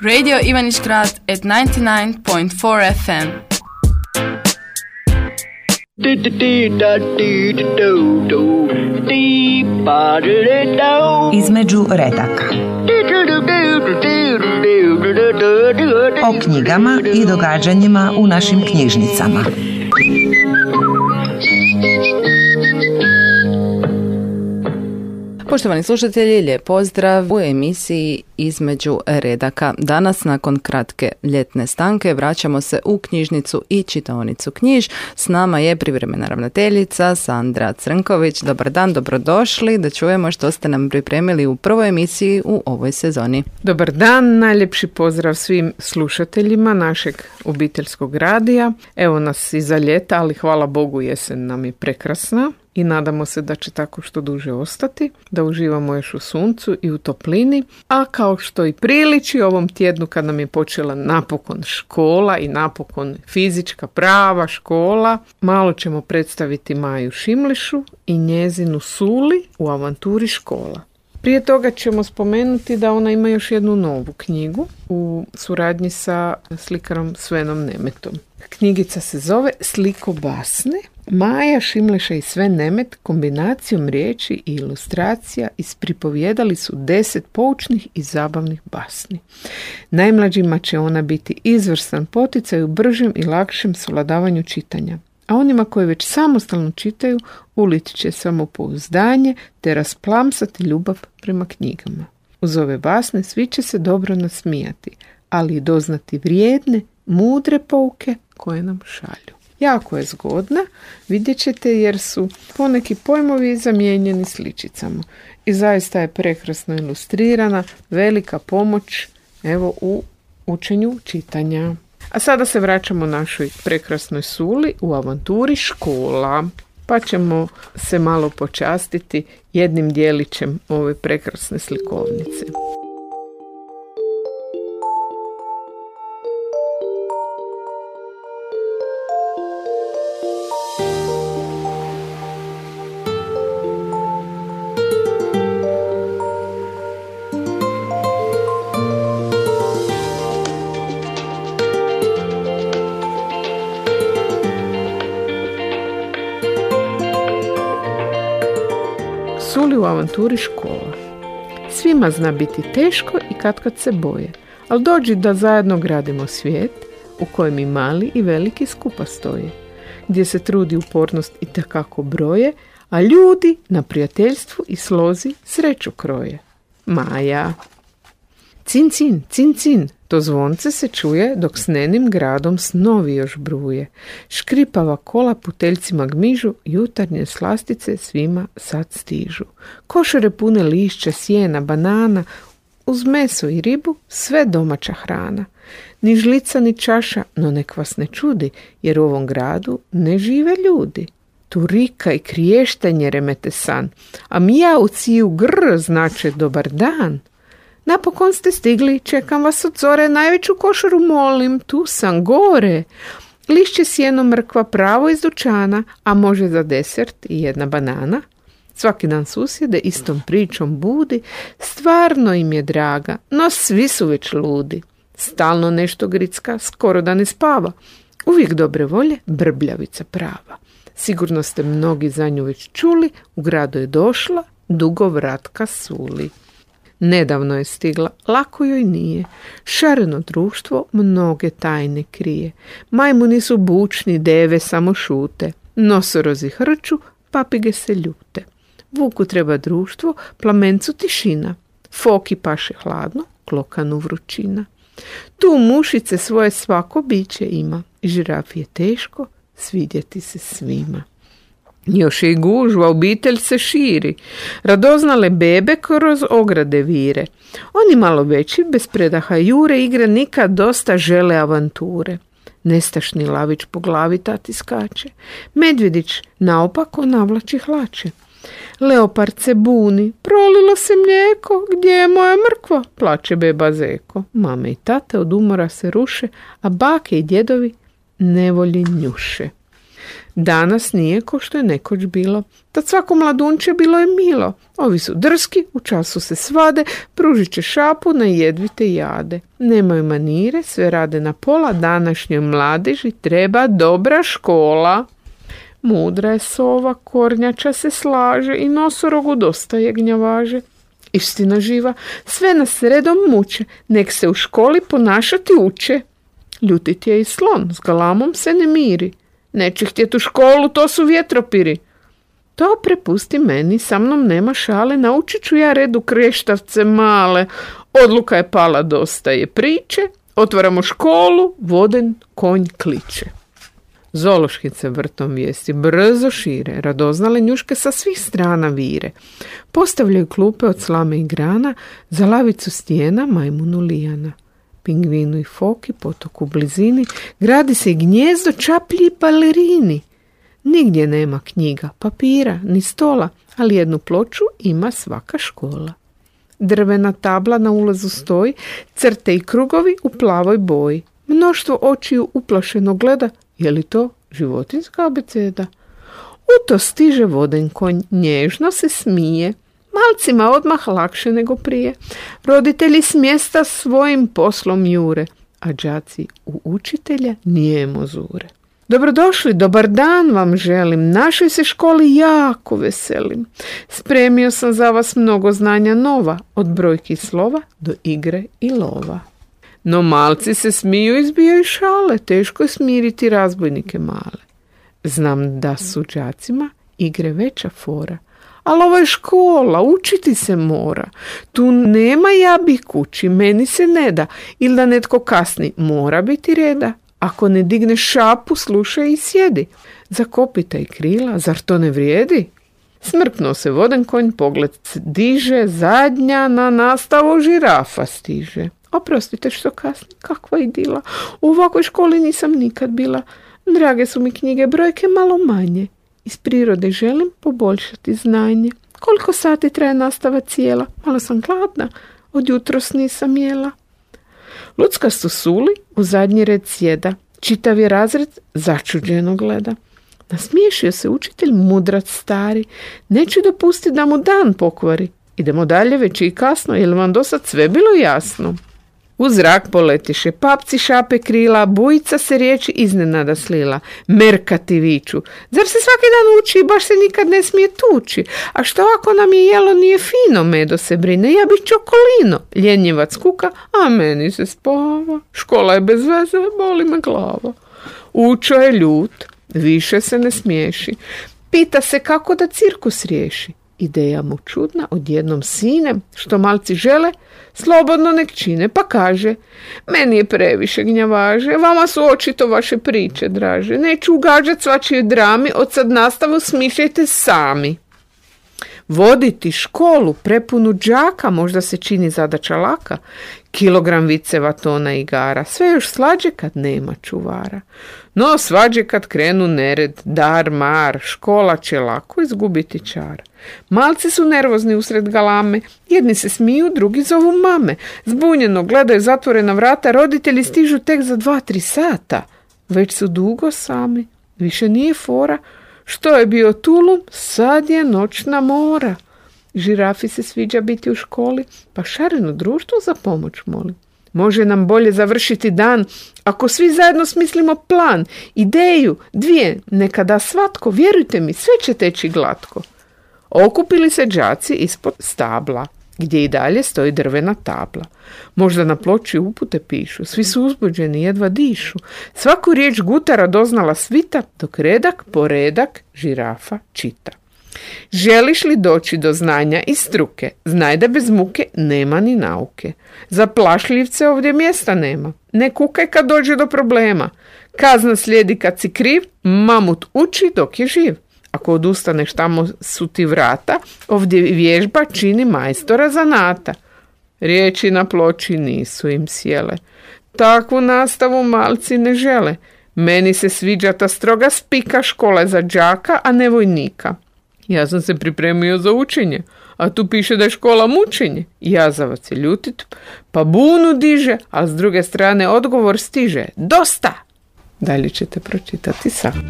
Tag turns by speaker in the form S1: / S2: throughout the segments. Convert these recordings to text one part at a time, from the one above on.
S1: Radio Ivanić Grad at 99.4 FM.
S2: Između redaka. O knjigama i događanjima u našim knjižnicama.
S3: Poštovani slušatelji, lijep pozdrav u emisiji Između redaka. Danas, nakon kratke ljetne stanke, vraćamo se u knjižnicu i čitaonicu Knjiž. S nama je privremena ravnateljica Sandra Crnković. Dobar dan, dobrodošli, da čujemo što ste nam pripremili u prvoj emisiji u ovoj sezoni.
S4: Dobar dan, najljepši pozdrav svim slušateljima našeg obiteljskog radija. Evo nas iza ljeta, ali hvala Bogu jesen nam je prekrasna. I nadamo se da će tako što duže ostati, da uživamo još u suncu i u toplini, a kao što i priliči ovom tjednu kad nam je počela napokon škola i napokon fizička prava škola, malo ćemo predstaviti Maju Šimlišu i njezinu Suli u avanturi škola. Prije toga ćemo spomenuti da ona ima još jednu novu knjigu u suradnji sa slikarom Svenom Nemetom. Knjigica se zove Sliko basne. Maja Šimleša i Sven Nemet kombinacijom riječi i ilustracija ispripovijedali su 10 poučnih i zabavnih basni. Najmlađima će ona biti izvrstan poticaj u bržem i lakšem savladavanju čitanja, a onima koji već samostalno čitaju uliti će samopouzdanje te rasplamsati ljubav prema knjigama. Uz ove basne svi će se dobro nasmijati, ali i doznati vrijedne, mudre pouke koje nam šalju. Jako je zgodna, vidjet ćete jer su poneki pojmovi zamijenjeni sličicama. I zaista je prekrasno ilustrirana, velika pomoć evo u učenju čitanja. A sada se vraćamo našoj prekrasnoj Suli u avanturi škola. Pa ćemo se malo počastiti jednim dijelićem ove prekrasne slikovnice. Suli u avanturi škola. Svima zna biti teško i kad se boje, ali dođi da zajedno gradimo svijet u kojem i mali i veliki skupa stoje, gdje se trudi upornost i takako broje, a ljudi na prijateljstvu i slozi sreću kroje. Maja. Cin, cin, cin, cin, to zvonce se čuje dok s nenim gradom snovi još bruje. Škripava kola puteljcima gmižu, jutarnje slastice svima sad stižu. Košare pune lišća, sjena, banana, uz meso i ribu sve domaća hrana. Ni žlica ni čaša, no nek vas ne čudi, jer u ovom gradu ne žive ljudi. Tu rika i kriještenje remete san, a mijau ciju grr znače dobar dan. Napokon ste stigli, čekam vas od zore, najveću košaru molim, tu sam gore. Lišće, sjeno, mrkva pravo iz dućana, a može za desert i jedna banana. Svaki dan susjede istom pričom budi, stvarno im je draga, no svi su već ludi. Stalno nešto gricka, skoro da ne spava. Uvijek dobre volje, brbljavica prava. Sigurno ste mnogi za nju već čuli, u gradu je došla dugovratka Suli. Nedavno je stigla, lako joj nije. Šareno društvo mnoge tajne krije. Majmuni su bučni, deve samo šute. Nosorozi hrču, papige se ljute. Vuku treba društvo, plamencu tišina. Foki paše hladno, klokanu vrućina. Tu mušice svoje svako biće ima. Žirafi je teško svidjeti se svima. Još i gužva, obitelj se širi. Radoznale bebe kroz ograde vire. Oni malo veći, bez predaha jure, igre nikad dosta žele avanture. Nestašni lavić po glavi tati skače. Medvjedić naopako navlači hlače. Leopard se buni, prolilo se mlijeko, gdje je moja mrkva? Plače beba zeko. Mame i tate od umora se ruše, a bake i djedovi nevolji njuše. Danas nije ko što je nekoć bilo. Tad svako mladunče bilo je milo. Ovi su drski, u času se svade, pružit će šapu na jedvite jade. Nemaju manire, sve rade na pola, današnjoj mladeži treba dobra škola. Mudra je sova, kornjača se slaže i nosorogu dosta jegnjavaže. Istina živa, sve nas redom muče, nek se u školi ponašati uče. Ljutit je i slon, s galamom se ne miri. Neće htjet u školu, to su vjetropiri. To prepusti meni, sa mnom nema šale, naučit ću ja redu kreštavce male. Odluka je pala, dosta je priče, otvaramo školu, voden konj kliče. Zološkice vrtom vijesti brzo šire, radoznale njuške sa svih strana vire. Postavljaju klupe od slame i grana, za lavicu stijena majmunu lijana. Pingvinu i foki, potok u blizini, gradi se i gnjezdo, čaplji i balerini. Nigdje nema knjiga, papira, ni stola, ali jednu ploču ima svaka škola. Drvena tabla na ulazu stoji, crte i krugovi u plavoj boji. Mnoštvo očiju uplašeno gleda, je li to životinjska abeceda? U to stiže voden konj, nježno se smije. Malcima odmah lakše nego prije. Roditelji s mjesta svojim poslom jure, a đaci u učitelja nijemo zure. Dobrodošli, dobar dan vam želim, našoj se školi jako veselim. Spremio sam za vas mnogo znanja nova, od brojki slova do igre i lova. No malci se smiju i zbijaju šale, teško je smiriti razbojnike male. Znam da su đacima igre veća fora, ali ovo je škola, učiti se mora. Tu nema ja bih kući, meni se ne da, ili da netko kasni, mora biti reda. Ako ne digne šapu, slušaj i sjedi. Zakopitaj krila, zar to ne vrijedi? Smrknuo se voden konj, pogled diže, zadnja na nastavu žirafa stiže. Oprostite što kasni, kakva idila. U ovakvoj školi nisam nikad bila. Drage su mi knjige, brojke malo manje. Iz prirode želim poboljšati znanje. Koliko sati traje nastava cijela? Malo sam gladna, od jutros nisam jela. Luckasto suli u zadnji red sjeda. Čitav je razred začuđeno gleda. Nasmiješio se učitelj mudrac stari. Neću dopustiti da mu dan pokvari. Idemo dalje, već i kasno, je li vam do sad sve bilo jasno? U zrak poletiše papci, šape krila, bujica se riječi iznenada slila. Merkati viču, zar se svaki dan uči i baš se nikad ne smije tući? A što ako nam je jelo nije fino, Medo se brine, ja bih čokolino. Ljenjevac kuka, a meni se spava. Škola je bez veze, boli me glava. Učo je ljut, više se ne smiješi. Pita se kako da cirkus riješi. Ideja mu čudna, odjednom sinem, što malci žele, slobodno nek čine, pa kaže, meni je previše gnjavaže, vama su očito vaše priče draže, neću ugađat svačije drami, od sad nastavu smišljajte sami. Voditi školu prepunu đaka možda se čini zadaća laka, kilogram viceva, tona igara, sve još slađe kad nema čuvara. No svađe kad krenu nered, dar, mar, škola će lako izgubiti čar. Malci su nervozni usred galame, jedni se smiju, drugi zovu mame. Zbunjeno gledaju zatvorena vrata, roditelji stižu tek za 2-3 sata. Već su dugo sami, više nije fora. Što je bio tulum, sad je noćna mora. Žirafi se sviđa biti u školi, pa šareno društvo za pomoć moli. Može nam bolje završiti dan ako svi zajedno smislimo plan, ideju, 2, neka da svatko, vjerujte mi, sve će teći glatko. Okupili se đaci ispod stabla, gdje i dalje stoji drvena tabla. Možda na ploči upute pišu, svi su uzbuđeni, jedva dišu. Svaku riječ gutara doznala svita, dok redak po redak žirafa čita. Želiš li doći do znanja i struke, znaj da bez muke nema ni nauke. Za plašljivce ovdje mjesta nema, ne kukaj kad dođe do problema. Kazna slijedi kad si kriv, mamut uči dok je živ. Ako odustaneš, tamo su ti vrata, ovdje vježba čini majstora zanata. Riječi na ploči nisu im sjele. Takvu nastavu malci ne žele. Meni se sviđa ta stroga spika, škola za đaka, a ne vojnika. Ja sam se pripremio za učenje, a tu piše da je škola mučenje. Jazavac je ljutit, pa bunu diže, a s druge strane odgovor stiže. Dosta! Dalje ćete pročitati sami.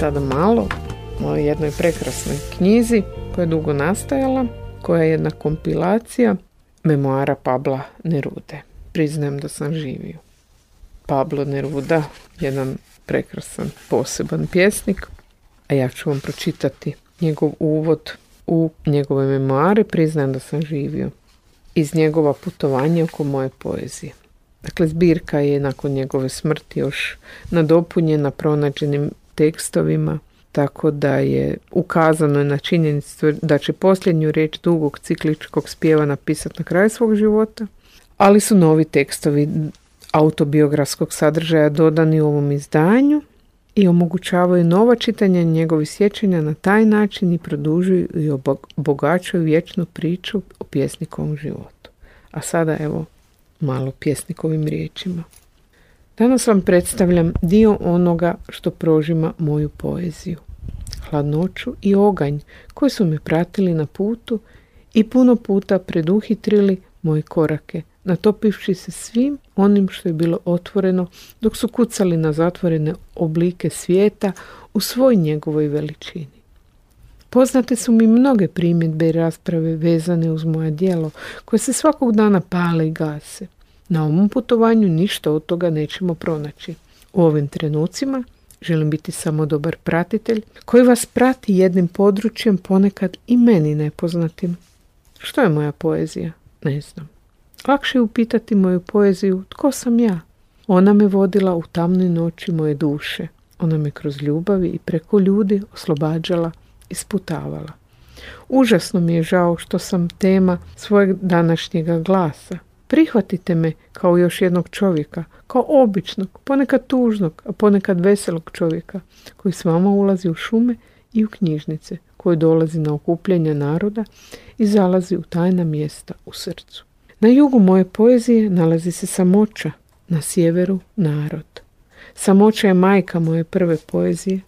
S4: sada malo o jednoj prekrasnoj knjizi koja je dugo nastajala, koja je jedna kompilacija memoara Pabla Nerude. Priznajem da sam živio. Pablo Neruda, jedan prekrasan, poseban pjesnik, a ja ću vam pročitati njegov uvod u njegove memoare, priznajem da sam živio, iz njegova putovanja oko moje poezije. Dakle, zbirka je nakon njegove smrti još nadopunjena pronađenim tekstovima, tako da je ukazano na činjenicu da će posljednju riječ dugog cikličkog spjeva napisati na kraju svog života, ali su novi tekstovi autobiografskog sadržaja dodani u ovom izdanju i omogućavaju nova čitanja njegovih sjećanja na taj način i produžuju i obogaćuju vječnu priču o pjesnikovom životu. A sada evo malo pjesnikovim riječima. Danas vam predstavljam dio onoga što prožima moju poeziju. Hladnoću i oganj koji su me pratili na putu i puno puta preduhitrili moje korake, natopivši se svim onim što je bilo otvoreno dok su kucali na zatvorene oblike svijeta u svoj njegovoj veličini. Poznate su mi mnoge primjedbe i rasprave vezane uz moje djelo, koje se svakog dana pale i gase. Na ovom putovanju ništa od toga nećemo pronaći. U ovim trenucima želim biti samo dobar pratitelj koji vas prati jednim područjem, ponekad i meni nepoznatim. Što je moja poezija? Ne znam. Lakše je upitati moju poeziju tko sam ja. Ona me vodila u tamnoj noći moje duše. Ona me kroz ljubavi i preko ljudi oslobađala, isputavala. Užasno mi je žao što sam tema svojeg današnjega glasa. Prihvatite me kao još jednog čovjeka, kao običnog, ponekad tužnog, a ponekad veselog čovjeka, koji s vama ulazi u šume i u knjižnice, koji dolazi na okupljanja naroda i zalazi u tajna mjesta u srcu. Na jugu moje poezije nalazi se samoća, na sjeveru narod. Samoća je majka moje prve poezije.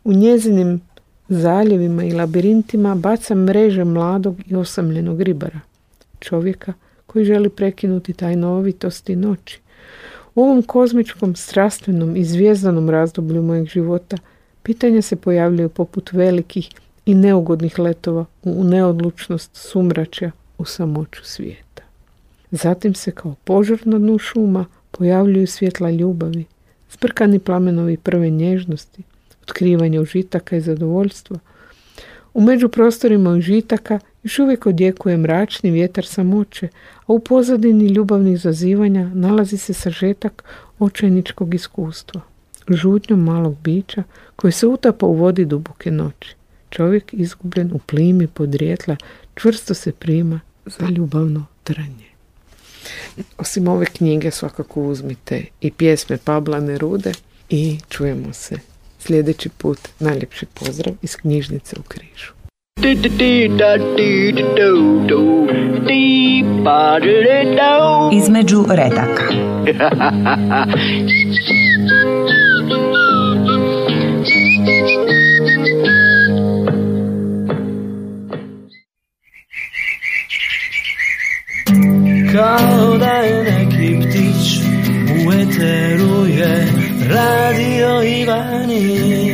S4: U njezinim zaljevima i labirintima baca mreže mladog i osamljenog ribara, čovjeka koji želi prekinuti tajnovitosti noći. U ovom kozmičkom, strastvenom i zvijezdanom razdoblju mojeg života pitanja se pojavljaju poput velikih i neugodnih letova u neodlučnost sumračja u samoću svijeta. Zatim se kao požar na dnu šuma pojavljuju svjetla ljubavi, zbrkani plamenovi prve nježnosti, otkrivanje užitaka i zadovoljstva. U međuprostorima užitaka još uvijek odjekuje mračni vjetar samoće, a u pozadini ljubavnih zazivanja nalazi se sažetak očajničkog iskustva, žutnjom malog bića koji se utapa u vodi duboke noći. Čovjek izgubljen u plimi podrijetla čvrsto se prima za ljubavno tranje. Osim ove knjige svakako uzmite i pjesme Pabla Nerude i čujemo se sljedeći put. Najljepši pozdrav iz knjižnice u Križu.
S2: Između redaka.
S5: Kao da je neki ptić u eteru je radio Ivani.